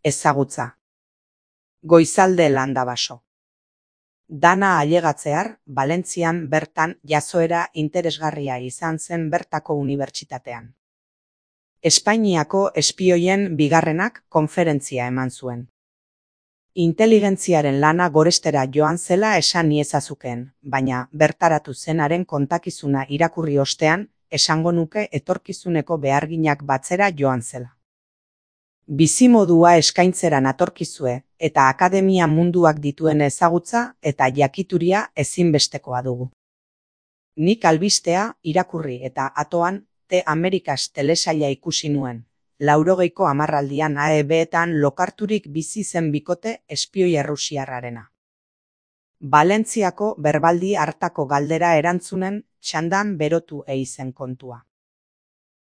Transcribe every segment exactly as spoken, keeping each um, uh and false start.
Ezagutza. Goizalde Landabaso. Dana ailegatzear, Valentzian bertan jazoera interesgarria izan zen bertako unibertsitatean. Espainiako espioien bigarrenak konferentzia eman zuen. Inteligentziaren lana gorestera joan zela esan iezazukeen, baina bertaratu zenaren kontakizuna irakurri ostean, esango nuke etorkizuneko beharginak batzera joan zela. Bizimodua eskaintzeran atorkizue eta akademia munduak dituen ezagutza eta jakituria ezinbestekoa dugu. Nik albistea irakurri eta atoan The Americas telesaila ikusi nuen. Laurogeiko hamarraldian A E B-etan lokarturik bizi zen bikote espioi errusiarrarena. Valentziako berbaldi hartako galdera erantzunen txandan berotu eizen kontua.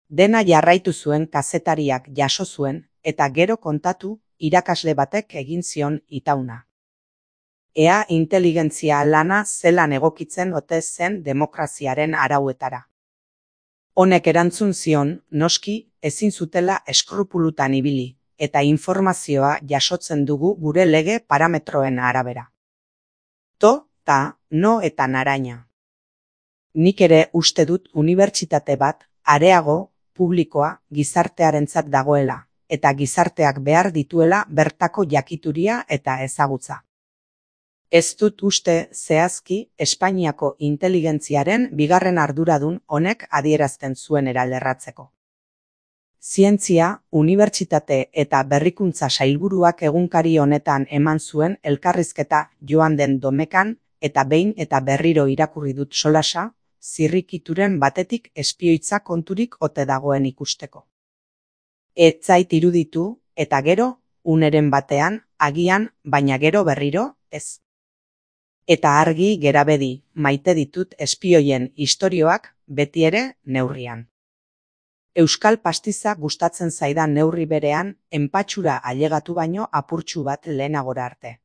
Dena jarraitu zuen kazetariak jaso zuen eta gero kontatu irakasle batek egin zion itauna. Ea inteligentzia lana zelan egokitzen ote zen demokraziaren arauetara. Honek erantzun zion, noski, ezin zutela eskrupulutan ibili, eta informazioa jasotzen dugu gure lege parametroen arabera. To, ta, no eta naraina. Nik ere uste dut unibertsitate bat, areago, publikoa, gizartearentzat dagoela, eta gizarteak behar dituela bertako jakituria eta ezagutza. Ez dut uste zehazki Espainiako inteligentziaren bigarren arduradun honek adierazten zuen eralerratzeko. Zientzia, unibertsitate eta berrikuntza sailburuak egunkari honetan eman zuen elkarrizketa joan den domekan eta behin eta berriro irakurri dut solasa, zirrikituren batetik espioitza konturik ote dagoen ikusteko. Ez zait iruditu, eta gero, uneren batean, agian, baina gero berriro, ez. Eta argi gerabedi, maite ditut espioien istorioak beti ere neurrian. Euskal pastiza gustatzen zaidan neurri berean, enpatxura ailegatu baino apurtxu bat lehenagora arte.